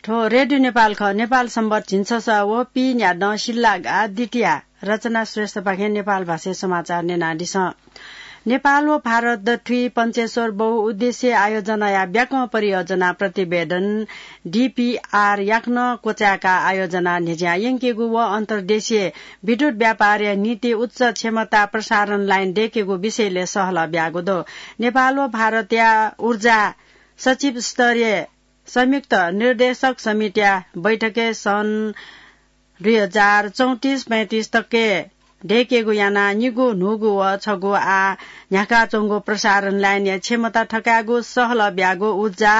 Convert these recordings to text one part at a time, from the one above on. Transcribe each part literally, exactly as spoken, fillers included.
थ्व रेडियो नेपाल खः। नेपाल संवत झिंछसः व पीन्यादँ सिल्लागा द्वितीया। रचना श्रेष्ठपाखें नेपाल भाषाय् समाचार न्यनादिसँ। नेपाल व भारत दथुइ पञ्चेश्वर बहुउद्देश्य आयोजनाया ब्याकं परियोजना प्रतिवेदन, डीपीआर, याकनं क्वचाय्‌का आयोजना न्ह्यज्यां यंकेगु व अन्तर्देशीय विद्युत व्यापारया निंतिं उच्च क्षमता प्रसारण लाइन दय्‌केगु विषयलय् सहलह ब्याःगु दु। नेपाल व भारतया ऊर्जा सचिव स्तरीय संयुक्त निर्देशक समितिया बैठकय् सन् दुई हजार चौंतिस पैंतिस तकय् दय्‌केगु यानाः निगू न्हूगू व छगू आः न्ह्याकाच्वंगु प्रसारण लाइनया क्षमता थकायेगु सहलह ब्याःगु ऊर्जा,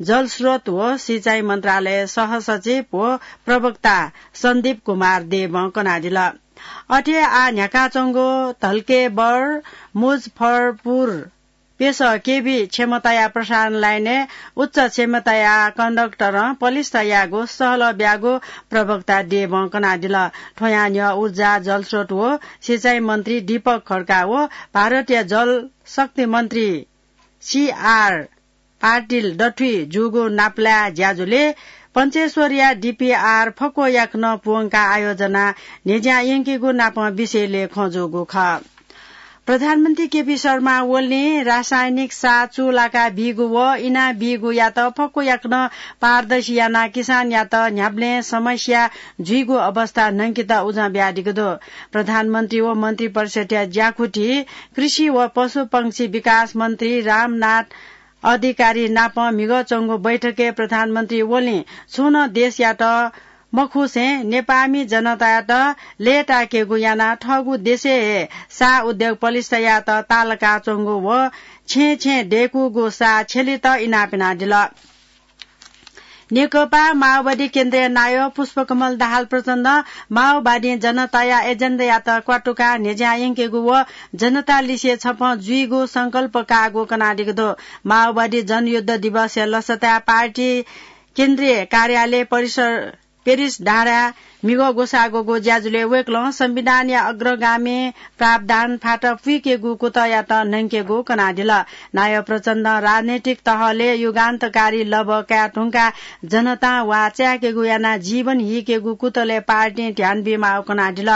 जलस्रोत व सिँचाइ मन्त्रालय सहसचिव व प्रवक्ता सन्दीप कुमार देवं कनादिल। अथे आः न्ह्याकाच्वंगु धल्केबर मुजफ्फरपुर प्यसः केभी क्षमताया प्रसारण लाइनय् उच्च क्षमताया कन्डक्टरं पलिस्था यायेगु सहलह ब्याःगु प्रवक्ता देवं कनादिल। थ्वयां न्ह्यः ऊर्जा, जलस्रोत व सिँचाइ मन्त्री दीपक खड्का व भारतया जलशक्ति मन्त्री सीआर पाटिल दथुइ जूगु नापलाये ज्याझ्वलय् पञ्चेश्वरया डीपीआर फक्व याकनं पूवंकाः आयोजना न्ह्यज्यां यंकेगु नापं विषयलय् खँ जूगु खः। प्रधानमन्त्री केपी शर्मा ओलीं रासायनिक साः चूलाका बीगु व इना बीगुयात फक्व याकनं पारदर्शी यानाः किसानयात न्ह्याबलें समस्या जुइगु अवस्था न्हंकेत उजं बियादीगु दु। प्रधानमन्त्री व मन्त्रिपरिषदया ज्याकुथि कृषि व पशुपंक्षी विकास मन्त्री रामनाथ अधिकारी नाप म्हिगः च्वंगु बैठकय् प्रधानमन्त्री ओलीं छुं नं देशयात मखुसें नेपाःमि जनतायात लय्‌ताय्‌केगु यानाः थःगु देशय् हे साः उद्योग पलिस्था यायेत ताःलाकाच्वंगु व छेँय् छेँय् दय्‌कूगु साः छ्यलेत इनाप यानादिल। नेकपा माओवादी केन्द्रीय नायः पुष्पकमल दाहाल प्रचण्डं माओवादीं जनताया एजेन्डायात क्वातुकाः न्ह्यज्यां यंकेगु व जनता लिसे छपं जुइगु संकल्प काःगु कनादीगु दु। माओवादी जनयुद्ध दिवसया लसताय् पार्टी केन्द्रीय कार्यालय परिसर पेरिस डाँडाय् म्हिगः ग्वसाः ग्वःगु ज्याझ्वलय् वय्‌कलं संविधानया अग्रगामी प्रावधान फात पुइकेगु कुतःयात न्हंकेगु कनादिल। नायः प्रचण्डं राजनैतिक तहलय् युगान्तकारी लभ्व काये धुंकाः जनतां वाः चाय्‌केगु यानाः जीवन हीकेगु कुतलय् पार्टीं ध्यान बीमाःगु कनादिल।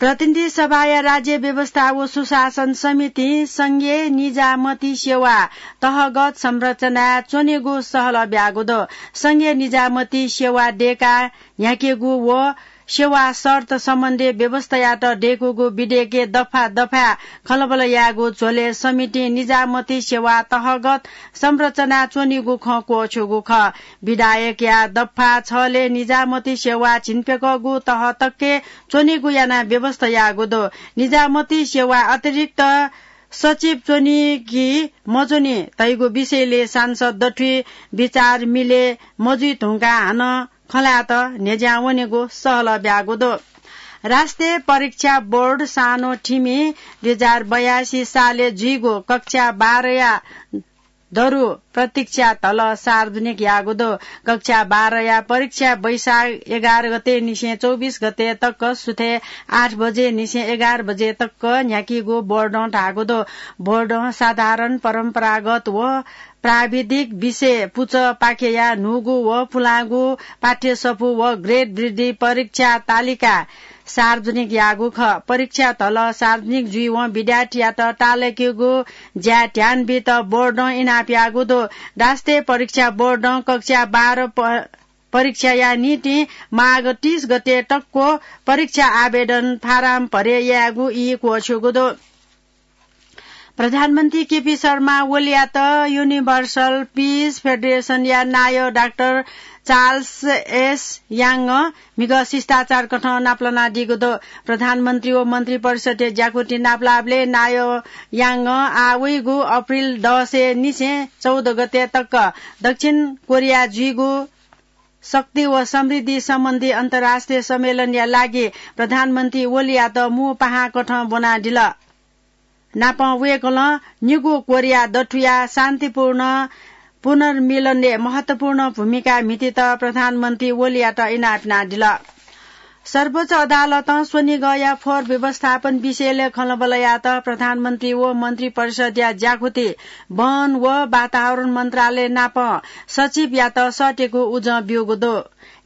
प्रतिनिधि सभाया राज्य व्यवस्था व सुशासन समितिं संघीय निजामती सेवा तहगत संरचनाय् च्वनेगु सहलह ब्याःगु दु। संघीय निजामती सेवा दय्‌काः न्ह्याकेगु व सेवा शर्त सम्बन्धी व्यवस्थायात दय्‌कूगु विधेयकय् दफा दफाय् खँल्हाबल्हा यायेगु झ्वलय् समितिं निजामती सेवा तहगत संरचनाय् च्वनीगु खँ क्वःछ्यूगु खः। विधेयकया दफा छलय् निजामती सेवा झिंप्यकःगु तह तकय् च्वनीगु यानाः व्यवस्था याःगु दु। निजामती सेवा अतिरिक्त सचिव च्वनी कि मच्वनी धइगु विषयलय् सांसद दथुइ विचार मिले मजुइ धुंकाः हानं खँ ल्हायेत न्ह्यज्यां वनेगु सहलह ब्याःगु दु। राष्ट्रिय परीक्षा बोर्ड सानो थिमि दुई हजार बयासी सालय् जुइगु कक्षा बाह्रया दरु परीक्षा धलः सार्वजनिक याःगु दु। कक्षा बाह्रया परीक्षा वैशाख एघार गते निसें चौबिस गते तक सुथय् आठ बजे निसें एघार बजे तक न्ह्याकीगु बोर्डं धाःगु दु। बोर्डं साधारण, परम्परागत व प्राविधिक विषय पुचः पाखेया न्हूगु व पुलांगु पाठ्यसफू व ग्रेड वृद्धि परीक्षा तालिका सार्वजनिक याःगु खः। परीक्षा धलः सार्वजनिक जुइवं विद्यार्थीयात ताःलाकेगु ज्याय् ध्यान बीत बोर्डं इनाप याःगु दु। राष्ट्रिय परीक्षा बोर्डं कक्षा बाह्र प-, परीक्षाया निंतिं माघ तीस गते तक्व परीक्षा आवेदन फारम भरे यायेगु ई क्वःछ्यूगु दु। प्रधानमन्त्री केपी शर्मा ओलीयात युनिभर्सल पिस फेडरेसनया नायः डाक्टर चार्ल्स एस याङं म्हिगः शिष्टाचार कथं नापलानादीगु दु। प्रधानमन्त्री व मन्त्रिपरिषदया ज्याकुथि नापलाःबलय् नायः याङं आः वइगु अप्रिल दसय् निसें चौध गते तक दक्षिण कोरिया जुइगु शक्ति व समृद्धि सम्बन्धी अन्तर्राष्ट्रिय सम्मेलनया लागि प्रधानमन्त्री ओलीयात मू पाहां कथं ब्वनादिल। नापं वय्‌कलं निगू कोरिया दथुया शान्तिपूर्ण पुनर्मिलनय् महत्वपूर्ण भूमिका म्हितेत प्रधानमन्त्री ओलीयात इनाप यानादिल। सर्वोच्च अदालतं स्वनिगःया फोहोर व्यवस्थापन विषयलय् खँल्हाबल्हायात प्रधानमन्त्री व मन्त्री परिषद्या ज्याकुथि वन व वातावरण मन्त्रालय नाप सचिवयात सःतेगु उजं ब्यूगु दु।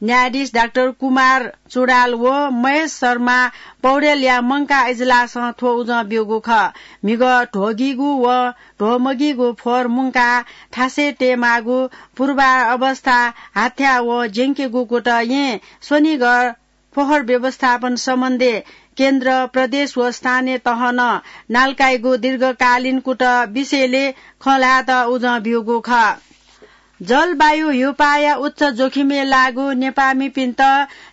न्यायाधीश डाक्टर कुमार चुडाल व महेश शर्मा पौडेलया मंकाः इजलासं थ्व उजं ब्यूगु खः। म्हिगः ध्वगीगु व ध्वमगीगु फोहोर मुंकाः थासय् तयेमाःगु पूर्वावस्था हाथ्या व ज्यंकेगु कुतः येँ स्वनिगः फोहोर व्यवस्थापन सम्बन्धी केन्द्र, प्रदेश व स्थानीय तहनं नालकाइगु दीर्घकालीन कुतः विषयलय् खँ ल्हायेत उजं ब्यूगु खः। जलवायु ह्यूपाःया उच्च जोखिमय् लाःगु नेपाःमिपिन्त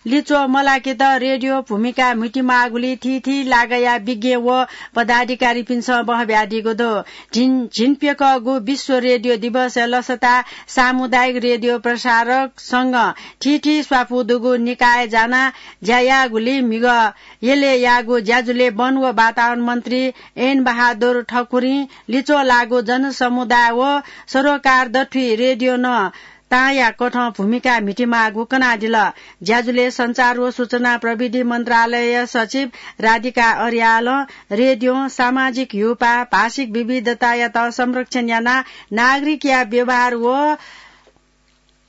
लिच्वः मलाकेत रेडियो भूमिका म्हितिमाःगुलिइ थीथी लागाया विज्ञ व पदाधिकारीपिन्सं बहब्यादीगु दु। झिन-, झिंप्यकःगु विश्व रेडियो दिवसया लसताय् सामुदायिक रेडियो प्रसारक संघं थीथी स्वापू दुगु निकाय जानाः ज्या याःगुलिइ म्हिगः यलय् याःगु ज्याझ्वलय् वन व वातावरण मन्त्री ऐन बहादुर ठकुरीं लिच्वः लाःगु जनसमुदाय व सरोकार दथुइ रेडियों तांया कथं भूमिका म्हितिमाःगु कनादिल। ज्याझ्वलय् सञ्चार व सूचना प्रविधि मन्त्रालय सचिव राधिका अर्यालं रेडियों सामाजिक ह्यूपाः, भाषिक विविधतायात संरक्षण यानाः नागरिकया व्यवहार व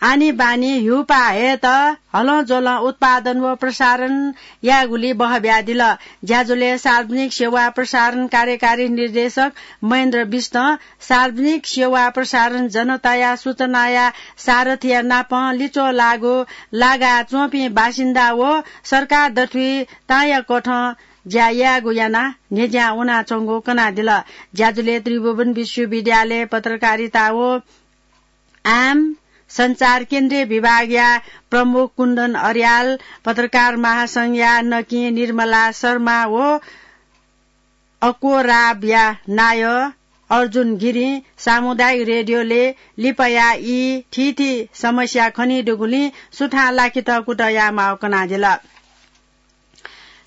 आनीबानी ह्यूपाः हयेत हलंज्वलं उत्पादन व प्रसारण यायेगुलिइ बहब्यादिल। ज्याझ्वलय् सार्वजनिक सेवा प्रसारण कार्यकारी निर्देशक महेन्द्र बिष्टं सार्वजनिक सेवा प्रसारण जनताया सूचनाया सारथिया नापं लिच्वः लाःगु लागाच्वंपिं बासिन्दा व सरकार दथुइ तांया कथं ज्या यायेगु यानाः न्ह्यज्यां वनाच्वंगु कनादिल। ज्याझ्वलय् त्रिभुवन विश्वविद्यालय पत्रकारिता व आम सञ्चार केन्द्रीय विभागया प्रमुख कुन्दन अर्याल, पत्रकार महासंघया नकिं निर्मला शर्मा व अक्वराबया नायः अर्जुन गिरिं सामुदायिक रेडियोलय् लिपाया ई थीथी समस्या खनीदुगुलिं सुथां लाकेत कुतः यायेमाःगु कनादिल।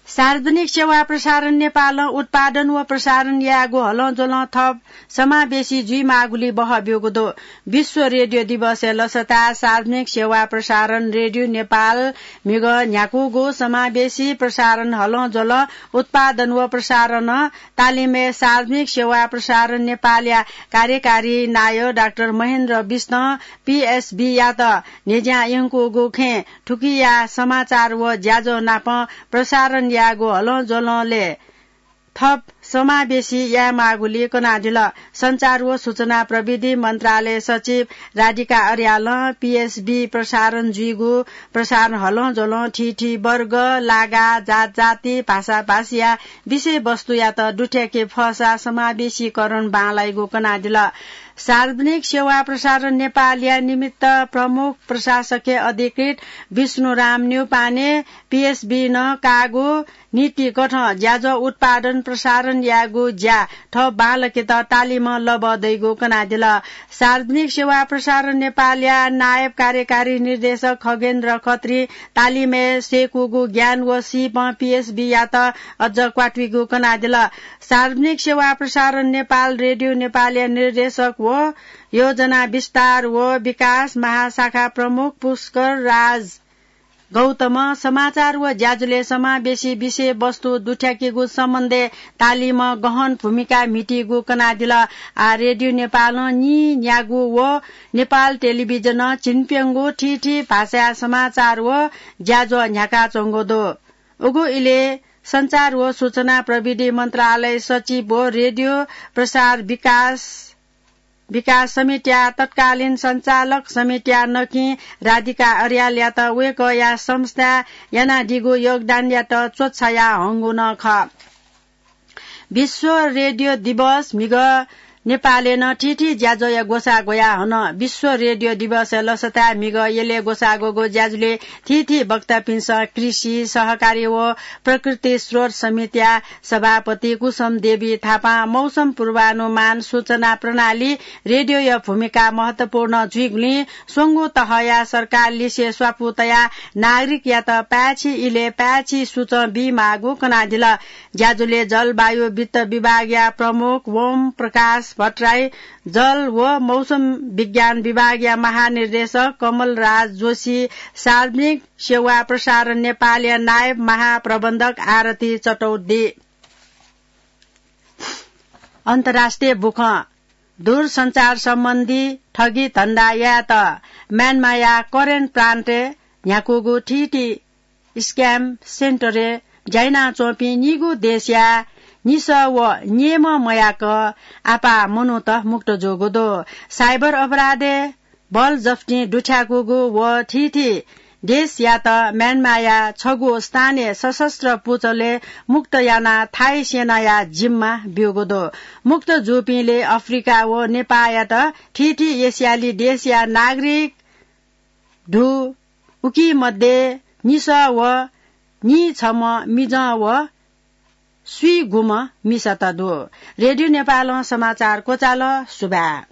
सार्वजनिक सेवा प्रसारण नेपालं उत्पादन व प्रसारण यायेगु हलंज्वलं थप समावेशी जुइमाःगुलिइ बहब्यूगु दु। विश्व रेडियो दिवसया लसताय् सार्वजनिक सेवा प्रसारण रेडियो नेपाल म्हिगः न्ह्याकूगु समावेशी प्रसारण हलंज्वलं उत्पादन व प्रसारण तालिमय् सार्वजनिक सेवा प्रसारण नेपालया कार्यकारी नायः डाक्टर महेन्द्र बिष्टं पीएसबीयात न्ह्यज्यां यंकूगु खँय् थुकिया समाचार व ज्याझ्वः नाप प्रसारण यायेगु हलंज्वलंलय् थप समावेशी यायेमाःगुलिइ कनादिल। सञ्चार व सूचना प्रविधि मन्त्रालय सचिव राधिका अर्यालं पीएसबी प्रसारण जुइगु प्रसारण हलंज्वलं थीथी वर्ग, लागा, जातजाति, भाषाभाषीया विषयवस्तुयात दुथ्याके फःसा समावेशीकरण बांलाइगु कनादिल। सार्वजनिक सेवा प्रसारण नेपालया निमित्त प्रमुख प्रशासकीय अधिकृत विष्णुराम न्यौपाने पीएसबीनं काःगु नीतिकथं ज्याझ्वः उत्पादन प्रसारण यायेगु ज्या थप बांलाकेत तालिमं लबः दइगु कनादिल। सार्वजनिक सेवा प्रसारण नेपालया नायब कार्यकारी निर्देशक खगेन्द्र खत्रीं तालिमय् सय्कूगु ज्ञान व सीपं पीएसबीयात अझ क्वातुइगु कनादिल। सार्वजनिक सेवा प्रसारण नेपाल रेडियो नेपालया निर्देशक व योजना विस्तार व विकास महाशाखा प्रमुख पुष्कर राज गौतमं समाचार व ज्याझ्वलय् समावेशी विषयवस्तु दुथ्याकेगु सम्बन्धय् तालिमं गहन भूमिका म्हितीगु कनादिल। आः रेडियो नेपालं नीन्यागू व नेपाल टेलिभिजनं झिंप्यंगू थीथी भाषाया समाचार व ज्याझ्वः न्ह्याकाच्वंगु दु। उगु इलय् सञ्चार व सूचना प्रविधि मन्त्रालय सचिव व रेडियो प्रसार विकास विकास समितिया तत्कालीन सञ्चालक समितिया नकिं राधिका अर्यालयात वय्कःया संस्थाय् यानादीगु योगदानयात च्वछाया हंगु नं खः। विश्व रेडियो दिवस म्हिगः नेपालय् नं थीथी ज्याझ्वःया ग्वसाः ग्वयाः हन। विश्व रेडियो दिवसया लसताय् म्हिगः यलय् ग्वसाः ग्वःगु ज्याझ्वलय् थीथी वक्तापिन्सं कृषि, सहकारी व प्रकृति स्रोत समितिया सभापति कुसुम देवी थापां मौसम पूर्वानुमान सूचना प्रणाली रेडियोया भूमिका महत्वपूर्ण जुइगुलिं स्वंगू तहया सरकार लिसे स्वापू तयाः नागरिकयात पाय्छि इलय् पाय्छि सूचं बीमाःगु कनादिल। ज्याझ्वलय् जलवायु वित्त विभागया प्रमुख ओम प्रकाश भट्टराई, जल व मौसम विज्ञान विभागया महानिर्देशक कमलराज जोशी, सार्वजनिक सेवा प्रसारण नेपालया नायब महाप्रबन्धक आरती चटौदी। अन्तर्राष्ट्रिय बुखँ। दूरसञ्चार सम्बन्धी ठगी धन्दा यायेत म्यानमाया करेन प्रान्तय् न्ह्याकूगु थीथी scam centre-य् ज्या यानाच्वंपिं निगू देशया निसः व न्येम्ह मयाक आपाः मनूत मुक्त जूगु दु। Cyber अपराधय् बल जफ्तिं दुथ्याकूगु व थीथी देशयात म्यानमाया छगू स्थानीय सशस्त्र पुचलय् मुक्त यानाः थाई सेनाया जिम्मा ब्यूगु दु। मुक्त जूपिंलय् अफ्रिका व नेपाःयात थीथी एसियाली देशया नागरिक दु। उकी मध्ये निसः व नीछम्ह मिजं व स्वीगुम्ह मिसात दु। रेडियो नेपालं समाचार क्वचाल। सुभाय्।